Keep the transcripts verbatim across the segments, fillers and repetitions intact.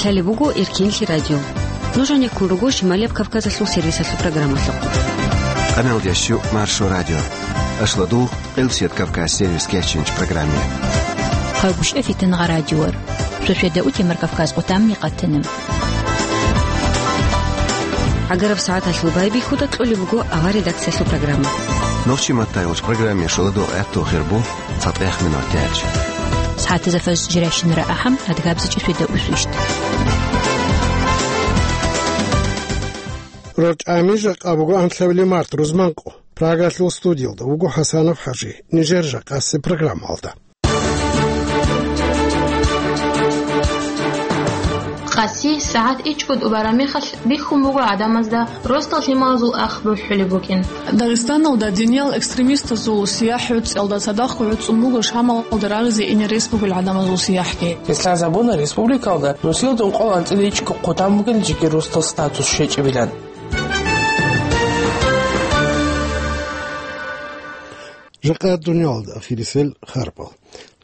Гьале буго Эркенлъи радио. Нуж гьанеккун руго Шималияб Кавказалъул сервисалъул программалъухъ. Къамелдящу Маршо радио. Ашладул Къилсият Кавказ сервис кечинч программе. Хъагушев Фитангъа радиор. Шошеда утемар Кавказ къутамни къатана. Агараб сагӀаталъул байбихьуда кьолеб буго авар редакциялъул программа. Нохчи маттайгъуч программе шоладул гӀехтул хирбу. ЦатӀех минут тяч. СагӀатазда фаз жирайщинара ахӀам, адгабзичӀи сведа усвищт. РорчӀами жакъа буго анлъабилеб март рузманкъо. Прагалъул студиялда вуго ХӀасанов ХӀажи. Нижер жакъасеб программалда. Къаси сагӀат ичӀго тӀубараб мехалъ бихьун буго гӀадамазда ростал лъималазул ах бухӀулеб букӀин. Дагъистаналда диниял экстремистазул сияхӀ гӀуцӀиялда цадахъ гӀуцӀун буго Шамалда рагъизе ине рес бугел гӀадамазул сияхӀги. Гьес лъазабуна республикалда нусилда ункъоялда анцӀила ичӀго хъутан бугел жеги ростал статус щвечӀебилан. Жакъа дуниялалда ахирисел харпал.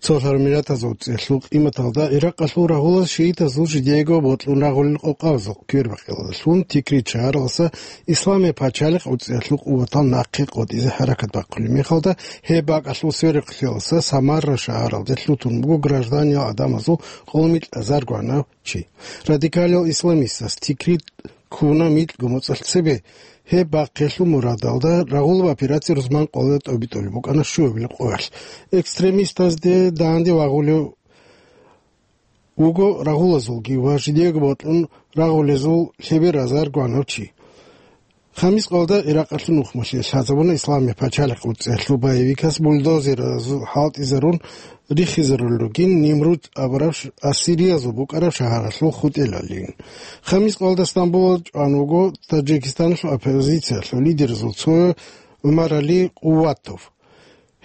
Цолъараб миллатазул цӀехлъул къиматалда Иракъалъул рагъулаз шиитазул жидеего бокьун рагъулел къокъабазул квербакъиялдалъун Тикрит шагьаралдаса Исламияб пачалихъ гӀуцӀиялъул къуватал нахъе къотӀизе хӀаракат бахъулеб мехалда, гьеб бакӀалъул сверухълъиялдаса Самарра шагьаралде лъутун буго гражданиял гӀадамазул къоло микьазар гванав чи. Радикалиял исламистас Тикрит ккуна микьго моцӀалъ цебе. Гьеб бахъиялъул мурадалда рагъулаб операция рузман къоялда тӀобитӀулеб букӀана щуабилеб къоялъ. Экстремистазде данде вагъулев вуго рагъулазулги ва жидеего бокьун рагъулезул лъеберазар гванав чи. Хамис къоялда Иракъалъул нухмалъе лъазабуна Исламияб пачалихъ гӀуцӀиялъул боевикас бульдозеразул хӀалтӀизарун рихизарулел ругин Нимруд абураб ш-, ассириязул букӀараб шагьаралъул хутӀелалин. Хамис къоялда Стамбулалда чӀван вуго Таджикистаналъул оппозициялъул лидерзул цо ГӀумарали Къуватов.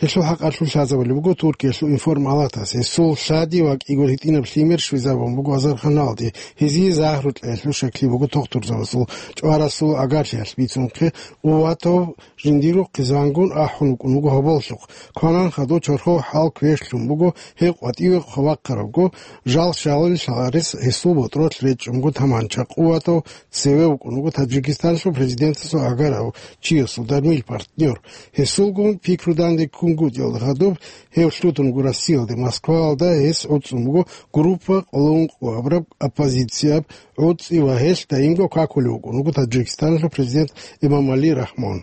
Гьелъул хӀакъалъулъ лъазабулеб буго Туркиялъул информ палатас. Гьесул лъади ва кӀиго гьитӀинаб лъимер щвезабун буго азарханалде. Гьезие загьру кьеялъул щаклъи буго тухтурзабазул чӀварасул агарлъиялъ бицунхъе. Уватов жиндирго хъизангун ахӀун вукӀун вуго гьоболлъухъ. Кванан хадув чорхол хӀал квешлъун буго, гьев къватӀиве хъвахъарабго, жал-жалил лъарес гьесул ботӀролъ речӀчӀун буго таманча. Уватов цеве вукӀун вуго Таджикистаналъул президентасул гӀагарав чиясул дармил партнер. Гьесулгун пикру данде ккунгутӀиялда гьадуб, гьев лъутун вуго Россиялде, Москваялда гьес гӀуцӀун буго группа къоло ункъо абураб оппозицияб гӀуцӀи ва гьелъ даимго какулев вукӀун вуго Таджикистаналъул президент Эмомали Рахмон.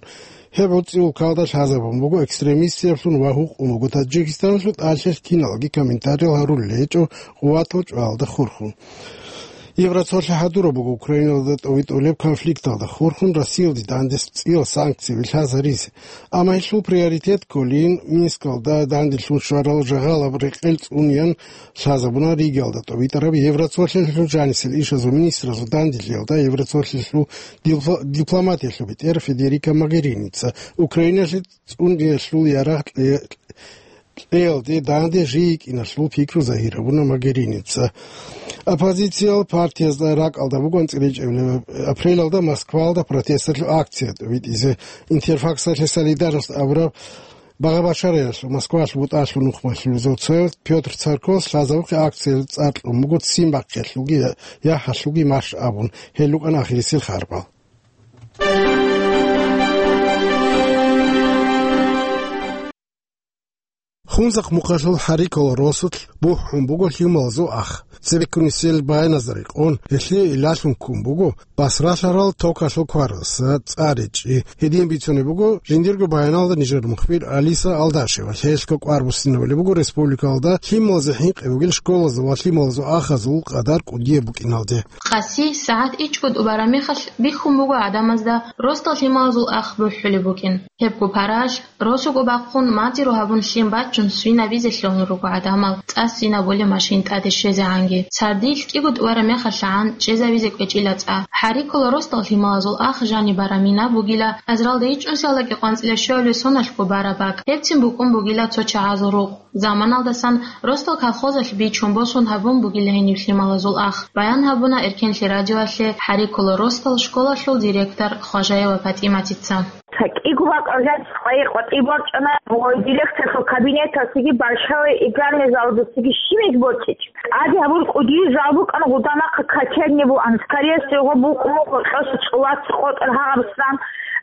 Гьеб гӀуцӀи улкалда лъазабун буго экстремистиялъун ва гьукъун буго Таджикистаналъул тӀалъилъ киналги комментариял гьарулел гьечӀо Къуватов чӀвалда хурхун. Евроцолъи хӀадураб буго Украиналда тӀовитӀулеб конфликталда хурхун Россиялде дандес цӀиял санкцияби лъазаризе. Амма гьелъул приоритет кколин Минскалда данделъун щварал жагьалаб рекъел цӀуниян лъазабуна Ригалда тӀовитӀараб Евроцолъиялъул жанисел ишазул министразул данделъиялда Евроцолъиялъул дипл-, дипломатиялъул бетӀер Федерика Могеринийица. Украиналъе цӀуниялъул ярагъ кье-, кьеялде данде жий йикӀиналъул пикру загьирабуна Могеринийица. Оппозициялъул партиязда ракӀалда буго анцӀила ичӀабилеб апрелалда Москвалда протесталъул акция тӀовитӀизе. Интерфаксалъе «Солидарность» абураб багъа-башараялъул Москвалъул бутӀалъул нухмалъулезул цояв Пётр Царкос лъазабухъе акциялъе цӀар кьун буго ццин бахъиялъулги я-, яхӀалъулги марш абун. Гьел рукӀана ахирисел харпал. Хунзахъ мухъалъул ХӀарикола росулъ бухӀун буго лъималазул ах. Цебеккунисел баяназда рекъон, гьелъие илалъун ккун буго Басралъарал токалъул кваралдаса цӀар речӀчӀи. Гьедин бицунеб буго жиндирго баяналда нижер мухбир Алиса Алдашева. Гьелъго кӀвар буссинабулеб буго республикалда лъималазе хӀинкъи бугел школазул ва лъималазул ахазул къадар кӀудияб букӀиналде. Къаси сагӀат ичӀго тӀубараб мехалъ бихьун буго гӀадамазда ростал лъималазул ах бухӀулеб букӀин. Гьебго паралъ, росуго бахъун мадиру гьабун лъим бачун свинабизе лъугьун руго гӀадамал, цӀа свинабулеб машин тӀаде щвезегӀанги. Сардилъ кӀиго тӀубараб мехалъагӀан чӀезавизе кӀвечӀила цӀа. ХӀарикула ростал лъималазул ах жаниб бараб мина бугила азаралда ичӀнусиялда кӀикъоялда анцӀила щуабилеб соналъго бараб бакӀ. Гьебцин букӀун бугила цо чагӀазул рукъ. Заманалдасан ростал колхозалъ бичун босун гьабун бугила гьениб лъималазул ах, баян гьабуна Эркенлъи радиоялъе ХӀарикула ростал школалъул директор Хважаева ПатӀиматица. ЦӀакъго бакӀалда къайи-къватӀи борчӀана, ва директорлъул кабинеталъеги, большой игральный залдасаги щибниги борчӀичӀо. ТӀаде гьабураб кӀудияб зал букӀана, гьудамахъа качельни бугӀан, скорее всего, букӀун гьоркьоса цӀулаца къотӀар гьагъаб сан,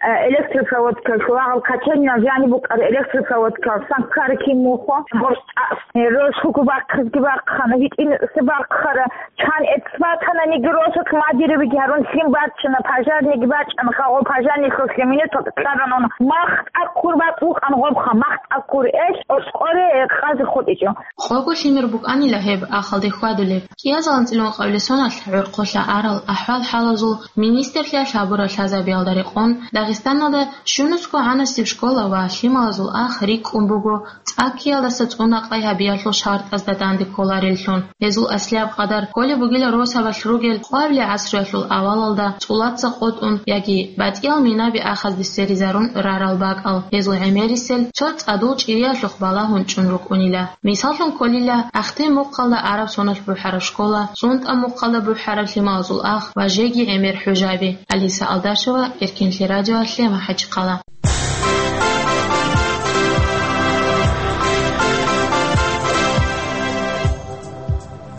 э, электропроводкалъул гьагъаб качельниял жаниб букӀараб электропроводкалъ сан ккараб кин мухъо, гьоркьоса росулъ бахъизги бахъана, гьитӀинаб бархъара, чан эцбатана, ниги росулъ мадирабиги гьарун лъим бачана, пожарныйги бачӀана, хагъо пожарныйлъулъ минуталда кьарана. МахтӀа ккур бакӀ букӀана гъобха, махтӀа ккур, эл, оскъоре, э, къазе хутӀичӀо. Къого лъимер букӀанила гьеб ахалде хьвадулеб. КӀиазул анцӀила ункъабилеб соналъ гӀорхъолъа арал ахӀвал-хӀалазул министрлъиялъ гьабураб лъазабиялда рекъон, Дагъистаналда щунусго гӀанасеб школа ва лъималазул ах рикӀкӀун буго, цӀаккиялдаса цӀунакъай гьабиялъул шартӀазда данде кколареллъун. Гьезул аслияб къадар кколеб бугила росабалъ ругел къоабилеб гӀасруялъул авалалда цӀулаца къотӀун яги батӀиял минаби ахазде сверизарун рарал бакӀал. Гьезул гӀемерисел цо цӀадул чӀириялъухъ балагьун чӀун рукӀунила. Мисаллъун кколила, Ахтем мухъалда араб соналъ бухӀараб школа, СунтӀа мухъалда бухӀараб лъималазул ах ва жеги гӀемер хӀужаби. Алиса Алдашева, Эркенлъи радио, ЛъемахӀачхъала.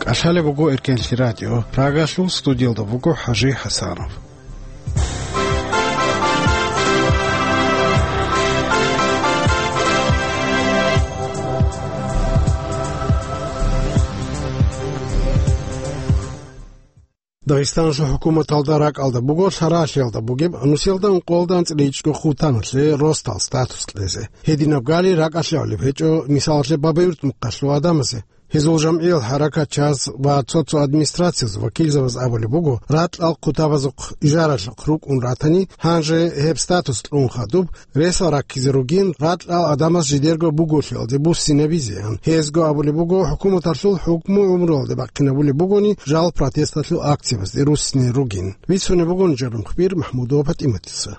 КӀалъалеб буго Эркенлъи радио. Прагалъул студиялда буго ХӀажи ХӀасанов. Дагъистаналъул хӀукуматалда ракӀалда буго лъаралъиялда бугеб нусиялда ункъоялда анцӀила ичӀго хъутаналъе росдал статус кьезе. Гьединаб гали ракӀалъе гӀолеб гьечӀо, мисалалъе, Бабаюрт мухъалъул гӀадамазе. Гьезул жамгӀиял хӀаракатчияз ва цо-цо администрациялъул вакилзабаз абулеб буго, ракьал хъутабазухъ ижаралъухъ рукӀун ратани, гьанже гьеб статус кьун хадуб, ресал раккизе ругин, ракьал гӀадамаз жидерго буголъиялде буссинабизеян. Гьезго абулеб буго, хӀукуматалъул хӀукму гӀумруялде бахъинабулеб бугони, жал протесталъул акциябазде руссине ругин. Бицунеб буго нижер мухбир МахӀмудова ПатӀиматица.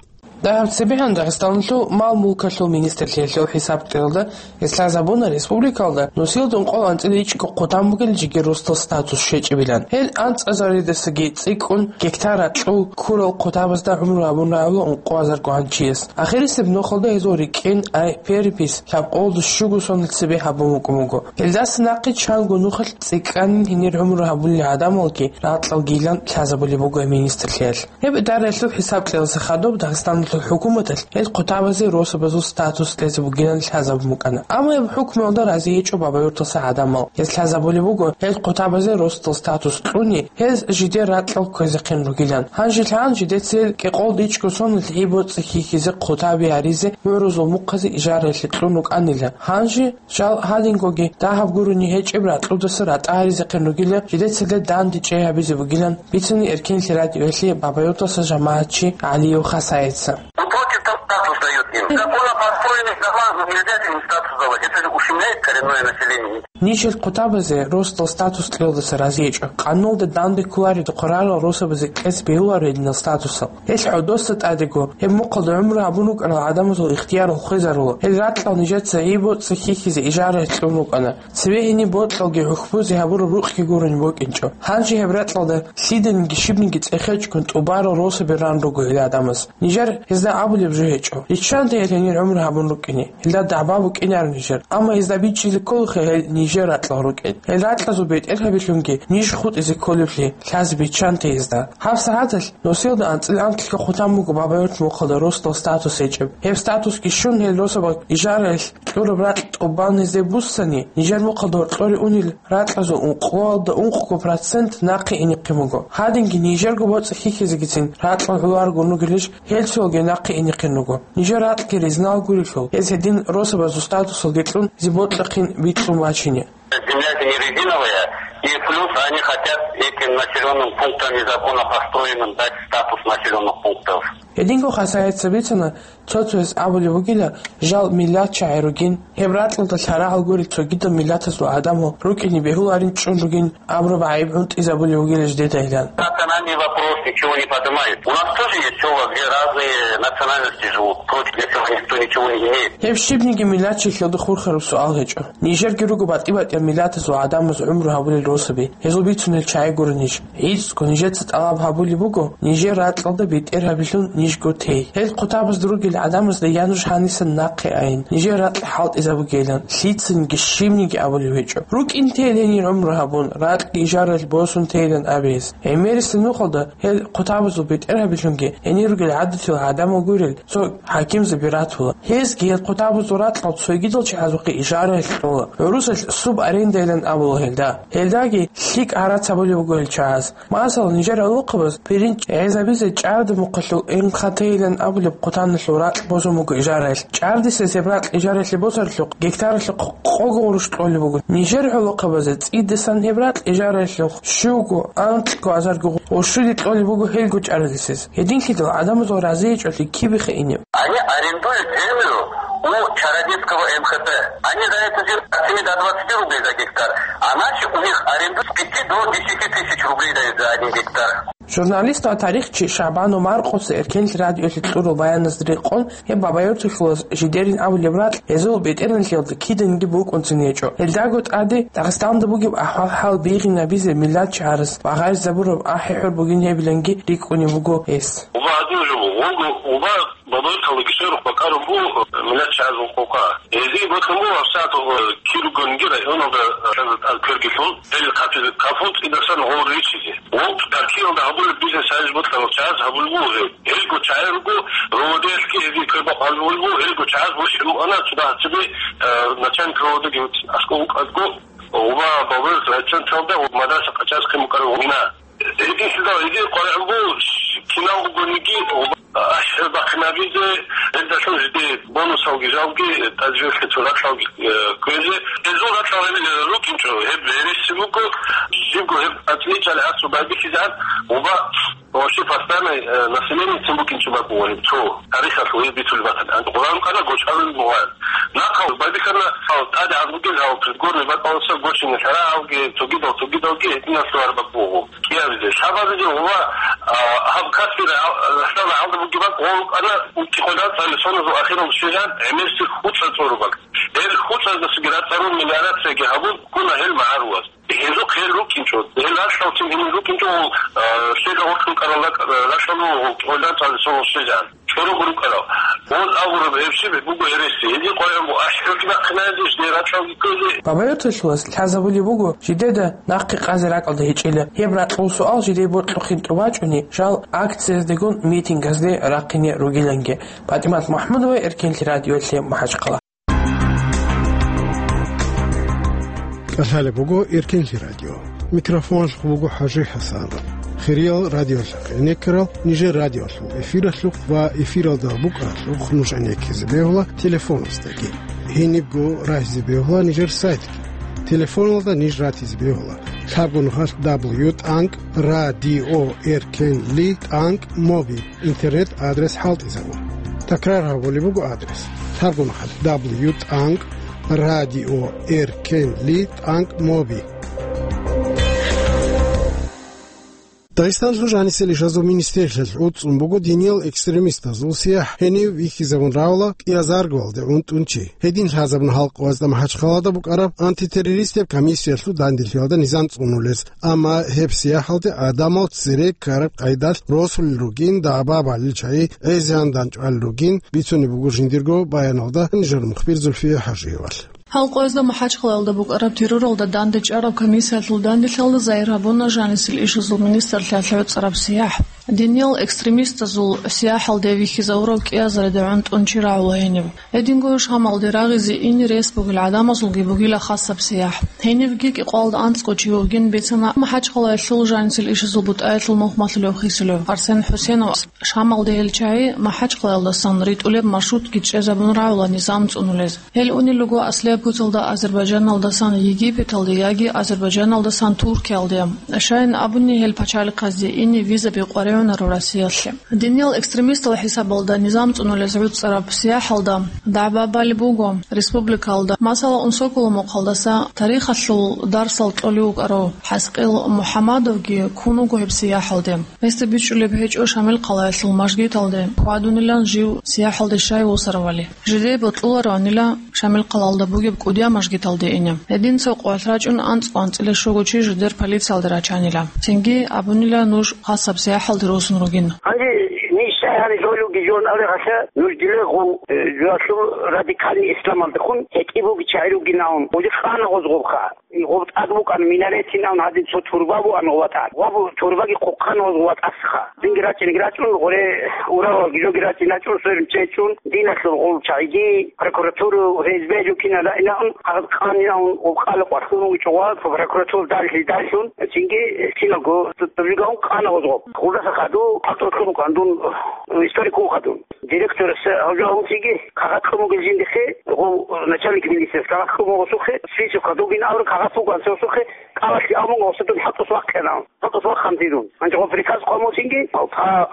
Дагьаб цебегьан Дагъистаналъул мал-мулкалъул министрлъиялъул хӀисаб кьелда, гьес лъазабуна республикалда нусиялда ункъоялда анцӀила ичӀго хъутан бугел жеги росдал статус щечӀебилан. Гьел анцӀазаридасаги цӀикӀкӀун гектар ракьул ккурал хъутабазда гӀумру гьабун рагӀула ункъоязарго гьанчияс. Ахирисеб нухалда гьезул рикӀкӀен, ай, перепись, лъабкъолда щуго соналъ цебе гьабун букӀун буго. Гьелдаса нахъе чанго нухалъ цӀикӀкӀанин гьенир гӀумру гьабулел гӀадамалги ракьалгийилан лъазабулеб буго гьеб министрлъиялъ. Гьеб идараялъул хӀисаб кьеласа хадуб Дагъистаналъул хӀукуматалъ гьел хъутабазе росабазул статус кьезе бугилан лъазабун букӀана. Амма гьеб хӀукмуялда рази гьечӀо Бабаюрталъа гӀадамал. Гьез лъазабулеб буго, гьел хъутабазе росдал статус кьуни, гьез жидер ракьал кквезехъин ругилан. Гьанже лъан жидецал кӀикъолда ичӀго соналъ гӀи-боцӀи хьихьизе хъутаби гьаризе гӀурузул мухъазе ижаралъе кьун рукӀанила. Гьанже жал гьадингоги дагьаб гурони гьечӀеб ракьудаса ратӀа гьаризехъин ругила, жидецалда данде чӀей гьабизе бугилан бицани Эркенлъи радиоялъе Бабаюрталъа жамагӀатчи ГӀалиев Хасаица. Ну, против того, статус дают им. Законно построенных домах, ну, нельзя им статус давать. Это же ущемляет коренное население. Нижер хъутабазе росдал статус кьелдаса рази гьечӀо. Къануналда данде кколареб хъурарал росабазе кьезе бегьуларо гьединал статусал. Гьел гӀодоса тӀадего, гьеб мухъалда гӀумру гьабун рукӀарал гӀадамазул ихтияр хвезарула. Гьел ракьал нижеца гӀи-боцӀи хьихьизе ижаралъе кьун рукӀана. Цеве гьениб бокьалги хӀухьбузе гьабураб рукъги гурони букӀинчӀо. Гьанже гьеб ракьалда лъиданиги щибниги цӀехечӀгун тӀубарал росаби ран руго гьел гӀадамаз. Нижер гьезда абулеб жо гьечӀо. Риччанте гьел гьенир гӀумру гьабун рукӀине. Гьелда дагӀба букӀинаро нижер. Амма гьезда бичӀчӀизе кколаха гьел нижер ракьал рукӀин. Гьел ракьазул бетӀергьабилъунги ниж хутӀизе кколеблъи лъазе биччанте гьезда. ГьабсагӀаталъ нусиялда анцӀила анкьго хъутан буго Бабаюрт мухъалда росдал статус гьечӀеб. Гьеб статусги щун гьел росабаз ижаралъ кьураб ракь тӀубан гьезде буссани, нижер мухъалда гьоркьоре унел ракьазул ункъоялда ункъго процент нахъе инехъин буго. Гьадинги нижерго боцӀи хьихьизегицин ракьал гӀоларгун ругелищ, гьел цоялги нахъе инехъин руго. Нижер ракьги ризмал гурелъул, гьез гьедин росабазул статусалги кьун, зи бокьахъин бикьун бачине. Земля это не резиновая, и плюс они хотят этим населённым пунктам незаконно построенным дать статус населённых пунктов. Гьединго Хасаица бицана, цо-цояс абулеб бугила, жал миллат чагӀи ругин, гьеб ракьалда лъарагӀал гурел цогидал миллатазул гӀадамал рукӀине бегьуларин чӀун ругин абураб гӀайиб гӀунтӀизабулеб бугила жидеда гьелан. Национальный вопрос ничего не поднимает. У нас тоже есть села, где разные национальности живут. Против этого никто ничего не имеет. Гьеб щибниги миллатчиясда хурхараб суал гьечӀо. Нижерги руго батӀи-батӀиял миллатазул гӀадамаз гӀумру гьабулел росаби. Гьезул бицунел чагӀи гуро ниж. ГӀицӀго нижеца тӀалаб гьабулеб буго, нижер ракьалда бетӀергьабилъун нижго тей. Гьел хъутабазда ругел гӀадамазда я нуж гьанисан нахъе айин, нижер ракь хӀалтӀизабугейилан, лъицаниги щибниги абулев гьечӀо. РукӀин тейилан гьенир гӀумру гьабун, ракьги ижаралъ босун тейилан абе гьес. ГӀемерисеб нухалда гьел хъутабазул бетӀергьабилъунги гьенир ругел гӀадатиял гӀадамал гурел цо хӀакимзаби ратула. Гьезги гьел хъутабазул ракьал цогидал чагӀазухъе ижаралъ кьола. ГӀурусалъ субарендайилан абула гьелда. Гьелдаги лъикӀ гӀарац гьабулеб буго гьел чагӀаз. Масала, нижер гӀолохъабаз пирин гӀезабизе чӀарда мухъалъул МХТ-йилан абулеб хъутаналъул ракь босун буго ижаралъ. ЧӀардисез гьеб ракь ижаралъе босаралъухъ гектаралъухъ къого гъурущ кьолеб буго. Нижер гӀолохъабазе цӀидасан гьеб ракь ижаралъухъ щуго, анкьго азарго гъурущ щуди кьолеб буго гьелго чӀардисез. Гьединлъидал гӀадамазул разиячӀалъи кибеха инеб? Они арендуют землю у Чародецкого МХТ. Они за эту землю от семи до двадцати рублей за гектар, а наши у них арендуют с пяти до десяти тысяч рублей дают за один гектар. Журналист ва тарихчи ШагӀбан Маркъоса Эркенлъи радиолъе кьурал баяназда рекъон, гьеб Бабаюрталъулаз жидерин абулеб ракь гьезул бетӀергьанлъиялда киданиги букӀунцин гьечӀо. Гьелдаго тӀаде Дагъистанда бугеб ахӀвал-хӀал бигьинабизе миллатчи гьарас ва гъайзабураб ахӀи-хӀур бугин гьебиланги рикӀкӀунеб буго гьес. Уба гьадин жо буго, уба Бабаюрталдаги сверухъ бакӀарун буго миллатчи гьарас ункъокъа. Гьезие бокьун буго гьабсагӀат киругониги районалда тӀад квергилъун, гьел хъатизе кафун цӀидасан гъол ричизе. Гъол Туркиялда гьабулеб бизнес гьариж бокьарал чагӀаз гьабулеб буго гьеб. Гьелго чагӀи руго, РОВД-ялъги гьезие квербакъ гьабулеб буго, гьелго чагӀаз бушин букӀана цо дагьаб цебе, э, начальник РОВД-ги аскӀов вукӀарго, уба Бабаюрт райцентралда мадраса къачӀаз хъин букӀараб гъуна. Гьединлъидал гьезие къваригӀун буго кинал бугониги, ахӀи-хӀур бахъинабизе, гьелдалъун жиде бонусалги жалги, тӀаде жо ракьалги, э, кквезе. Гьезул ракьал гьел, э, рукӀинчӀо, гьеб гьереси буго, жибго гьеб ацӀичӀали гьасу байбихьизегӀан, уба вообще постоянный, э, населениецин букӀинчӀо бакӀ бугони цо тарихалъул гьеб бицулеб батани. Гьанже къваригӀун букӀана гочарулеб бугоян. Нахъа байбихьана, гьал тӀадегӀан ругел гьал придворный бакӀалдаса гочине лъарагӀалги, цогидал-цогидалги гьединал лъугьараб бакӀ буго. КӀиабизе, лъабабизе ва, а, гьаб Каспи рагӀалда бугеб бакӀ гъоркьана, унти-къоялда цӀалисоназул ахирал щвезан гӀемерси хӀуцӀа цӀору бакӀ. Гьел хӀуцӀаздасаги рацӀцӀалъун мелиорацияги гьабун ккуна гьел магӀарулаз. Гьезухъ гьел рукӀинчӀо, гьел ралъдалцин гьенир рукӀинчӀо, а, лъеда гъоркьун кӀарал ракь-, ралъдал унти-къоялда цӀалисонал щвезан. ЧӀорого рукӀарал. Гъоз агъураб гьеб щиб буго гьереси. Гьедин къваригӀун буго ахӀи-хӀурги бахъинабизе, жидер ракьалги кквезе. Бабаюрталъулас лъазабулеб буго жидеда нахъе къазе ракьалда гьечӀила. Гьеб ракьул суал жидее бокьухъин тӀубачӀони, жал акцияздегун митингазде рахъине ругиланги. ПатӀимат МахӀмудова, Эркенлъи радиолъе, МахӀачхъала. КӀалъалеб буго Эркенлъи радио. Микрофоналъухъ буго ХӀажи ХӀасан. Хириял радиолъахъ гӀенеккарал нижер радиолъул эфиралъухъ ва эфиралда букӀаралъухъ нуж гӀенеккизе бегьула телефоназдаги. Гьенибго рагьизе бегьула нижер сайтги. Телефоналда ниж ратизе бегьула: лъабго нухалъ дабл ю тӀанкӀ радио эркенли тӀанкӀ моби. Интернет-адрес хӀалтӀизабун. Такрар гьабулеб буго адрес: лъабго нухалъ дабл ю тӀанкӀ радио эркенли тӀанкӀ моби. Дагъистаналъул жанисел ишазул министрлъиялъ гӀуцӀун буго диниял экстремистазул сияхӀ гьенив вихьизабун равала кӀиазаргоялде гӀунтӀун чи. Гьедин лъазабун халкъ гьезда МахӀачхъалада букӀараб антитеррористияб комиссиялъул данделъиялда низам цӀунулез. Амма гьеб сияхӀалде гӀадамал цере ккараб къайдалъ росулел ругин, дагӀба балел чагӀи гӀезегӀан данчӀвалел ругин, бицунеб буго жиндирго баяналда нижер мухбир Зульфия ХӀажиевалъ. Халкъ гьезда МахӀачхъалаялда букӀараб терроралда дандечӀараб комиссиялъул данделъиялда загьир гьабуна жанисел ишазул министрлъиялъ гӀуцӀараб сияхӀ. Диниял экстремистазул сияхӀалде вихьизавурав кӀиазарида гӀунтӀун чи рагӀула гьениб. Гьединго Шамалде рагъизе ине рес бугел гӀадамазулги бугила хасаб сияхӀ. Гьенивги кӀикъоялда анцӀго чи вугин бицана МахӀачхъалаялъул жанисел ишазул бутӀаялъул мухь малъулев хисулев Арсен ХӀусенов. Шамалде гьел чагӀи МахӀачхъалаялдасан ритӀулеб маршрутги чӀезабун рагӀула низам цӀунулез. Гьел унел руго аслияб путалда Азербайджаналдасан Египеталде яги Азербайджаналдасан Туркиялде. Щайин абуни, гьел пачалихъазде ине визаби къваригӀунаро Россиялъе. Диниял экстремистал хӀисабалда низам цӀунулез гӀуцӀараб сияхӀалда дагӀба балеб буго республикалда. Масала, Унсоколо мухъалдаса тарихалъул дарсал кьолев вукӀарав ХӀаскъил МухӀаммадовги ккун вуго гьеб сияхӀалде. Гьесда бичӀчӀулеб гьечӀо Шамилхъалаялъул мажгиталде хьвадунилан жив сияхӀалде щай вусаравали. Жидее бокьулароанила Шамилхъалаялда бугеб КӀудиял мажгиталде ине. Гьедин цо къоялъ рачӀун анцӀго анцӀила щуго чи жидер полициялде рачанила. Цинги абунила нуж хасаб сияхӀалде росун ругин. Гьанже ниж щай гьаниб жолев Дижон абрагьалъа нуж дилегъул, э, жуялъул радикальный исламалдехун гьетӀи буги чагӀи ругинавун, гъуди къана гъозгъобха. Гъоб тӀад букӀан минаретинавун гьадин цо турба бугӀан гъова тӀад. Гъоб турбаги хъухъан гъозгъова тӀасха. Динги рачӀинги рачӀун, гъоре уралалги жоги рачӀин рачӀун, сверун чечӀун, диналъул гъол чагӀиги, прокуратура, Ф С Б жукина раинавун, гьагъад къанинавун, гъоб къала къвархун вичӀогъа, прокуратура даллъи даллъун, цинги синалго тӀубжигавун къана гъозгъоб. Гъудаса хаду, хӀалтӀулъун кандун, историкун хадун. Директорас гьавжа гьунсиги кагъат кьун бугел жиндихъе, гъов начальник милициялъ кагъат кьун бугосухъе, список гьадугин абру кагъат бугансосухъе, кӀалалъи абун гъосадун хӀалтӀус вахъинав. ХӀалтӀус вахъан дидун. Гьанже гъов приказ хъвамусинги, по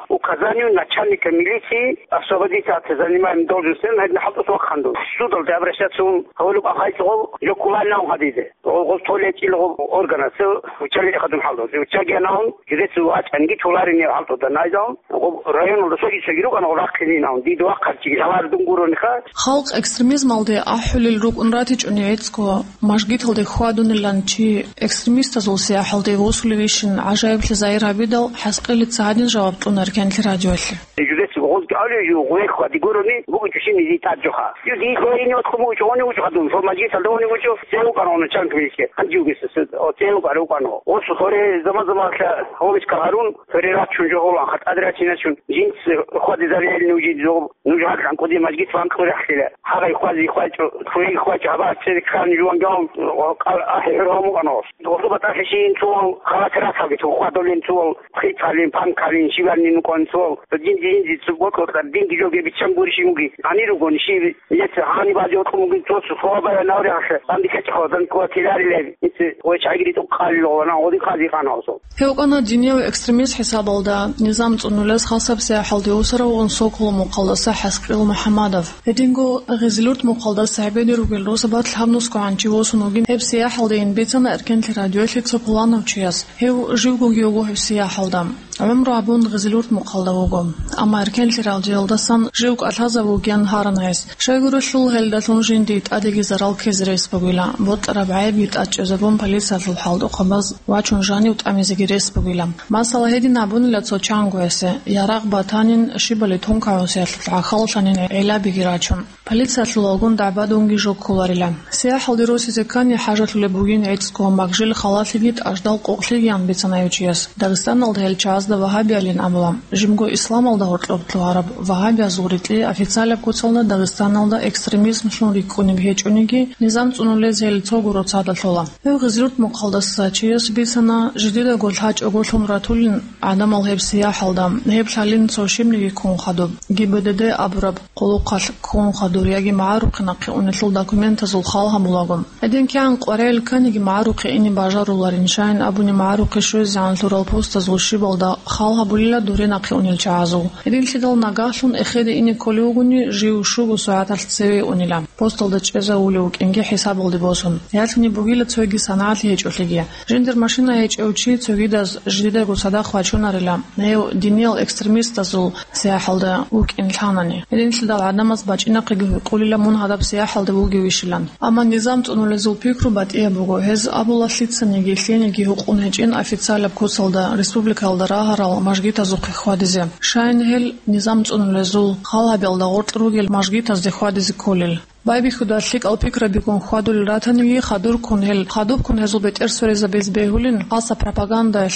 указанию начальника милиции освободить от занимаемой должности, гьедин хӀалтӀус вахъандун. Судалде обращаться ун гьавалуб ахайчӀо гъов жоккулал нав гьадизе. Гъов, гъов толечӀил гъов органасе виччалил хадун хӀалтӀус. Виччаги анавун, жидецу вачӀанги чуларин гьев хӀалтӀуда найдаун, гъов районалда соги соги рукӀана гъов рахъинин авун. Дида вахъарчиги гьавар дун гурониха. Халкъ экстремизмалде ахӀулел рукӀун ратичӀони гӀицӀго, мажгиталде хьвадунилан чи экстремистазул сияхӀалде вусулевищин гӀажаиблъи загьир гьабидал, ХӀаскъилица гьадин жаваб кьуна Эркенлъи радиоялъе. Жидецу гъозги алев жо гъвехъ хьвади гурони, бугичӀущин изи тӀад жоха. Ю дихьо ини отхъуму учӀони учӀадун, фо мажгиталда уни учӀо, цеву канону чанг вилике, ханжи угесе, о, цеву кару кано. О, сухоре зама-замалъа гьоличка гьарун, перерачун жо гьолан, хатӀад рачиначун, жинц хьвадизариял нужи жо, нуж гьакъан кӀуди мажгит ван кьурахлъила. Гьагъай хвази хвачӀо, хвей хвачӀо, гьабар цереккан жуван гавун, о, къал ахӀи хӀураму кано. Дохлу батӀалъи шиин цувал, халатирасалги цо хвадолин цувал, хицалин, панкалин, шивалин нукъон цувал. Дин, дин, дин, цо бокьо, динги жоги биччан гурищ муги. Гьани ругони шиви, нилъеца гьани базе гьоркьо мугин цо сухоба я навряхъе, банди качахо, дан квартирарилев, нилъе гъой чагири тӀукъалило, вана гъоди къази къаналсо. Гьев кӀана динияв экстремист хӀисабалда, низам цӀунулес хасаб сияхӀалде усаравгъун Соколов мухъалдаса ХӀаскъил МухӀаммадов. Гьединго Гъизилурт мухъалдаса гьебеде ругел росабат лъабнусго гӀанчи восун вугин гьеб сияхӀалдейин бицана Эркенлъи радиоялъе цо пуланав чияс. Гьев живгоги вуго гьеб сияхӀалда. ГӀумру абун Гъизилурт мухъалда вуго. Амма Эркенлъи радиоялдасан жив кӀалъазаб вугин гьаран гьес. Щайгурелъул гьелдалъун жинди тӀадеги зарал ккезе рес бугила, бокьараб гӀайибги тӀад чӀезабун полициялъул хӀалтӀухъабаз вачун жанив тӀамизеги рес бугила. Масала, гьедин абунила цо чанго гьесе, ярагъ батанин, щибали тункагӀусиялъул гӀахьаллъанин гӀелабиги рачун. Полициялъул вагон дагӀбадунги жо кколарила. СияхӀалде росизе ккани хӀажалъулеб бугин гӀицӀго, магжил халалъиги тӀаждал къокълъигиян бицана гьев чияс. Дагъистаналда гьел чагӀазда вагьабиялин абула. Жибго исламалда гьоркьоб лъугьараб вагьабиязул рикьи официалаб куцалда Дагъистаналда экстремизмлъун рикӀкӀунеб гьечӀониги, низам цӀунулез гьел цого роцада лъола. Гьев Гъизилурт мухъалдаса чияс бицана, жидедаго лъачӀого лъун ратулин гӀадамал гьеб сияхӀалда, гьеб лъалин цо щибниги ккун хадуб, Г Б Д Д абураб къулухъалъ ккун хадур яги магӀарухъе нахъе унелъул документазул хал гьабулаго. Гьедин кигӀан къваригӀел кканиги магӀарухъе ине бажаруларин, щайин абуни магӀарухъе щвезегӀан лъурал постазул щибалда хал гьабулила дуре нахъе унел чагӀазул. Гьединлъидал нагагьлъун эхеде ине кколев вугони, жив щуго сагӀаталъ цеве унила, посталда чӀезавулев вукӀинги хӀисабалде босун. Ялъуни бугила цоги санагӀалъи гьечӀолъиги. Жиндир машина гьечӀев чи цогидаз жидедаго цадахъ вачунарила, гьев диниял экстремистазул сияхӀалда вукӀин лъанани. Гьединлъидал гӀадамаз бачӀинахъеги гьукъулила мун гьадаб сияхӀалда вугевищилан. Амма низам цӀунулезул пикру батӀияб буго, гьез абула лъицаниги лъениги гьукъун гьечӀин официалаб куцалда республикаялда рагьарал мажгитазухъе хьвадизе. Щайин гьел низам цӀунулезул хал гьабиялда гъоркь ругел мажгитазде хьвадизе кколел. Байбихьуда лъикӀал пикрабигун хьвадулел ратаниги, хадурккун гьел, хадубккун гьезул бетӀер сверизабиз бегьулин, хаса пропагандаялъ.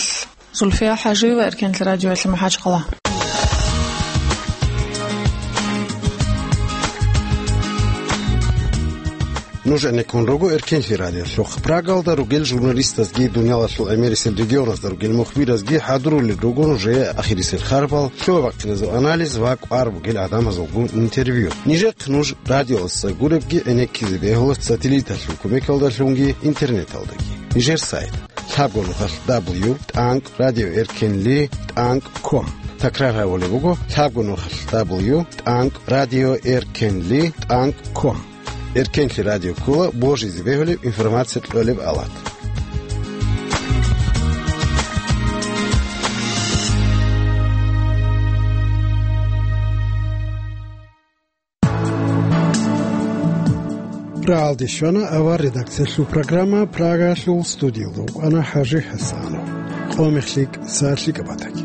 Зульфия ХӀажиева, Эркенлъи радиоялъе, МахӀачхъала. Нуж гӀенеккун руго Эркенлъи радиолъухъ. Прагалда ругел журналистазги дуниялалъул гӀемерисел регионазда ругел мухбиразги хӀадурулел руго нужее ахирисел харбал, лъугьа-бахъиназул анализ ва кӀвар бугел гӀадамазулгун интервью. Нижехъ нуж радиоялдаса гуребги гӀенеккизе бегьула сателлиталъул кумекалдалъунги интернеталдаги. Нижер сайт: лъабго нухалъ дабл ю тӀанкӀ радио эркенли тӀанкӀ ком. Такрар гьабулеб буго: лъабго нухалъ дабл ю тӀанкӀ радио эркенли тӀанкӀ ком. Эркенлъи радио ккола божизе бегьулеб информация кьолеб алат. Рагьалде щвана авар редакциялъул программа. Прагалъул студиялда вукӀана ХӀажи ХӀасанов. Къо мех лъикӀ, сагӀат лъикӀаб батаги.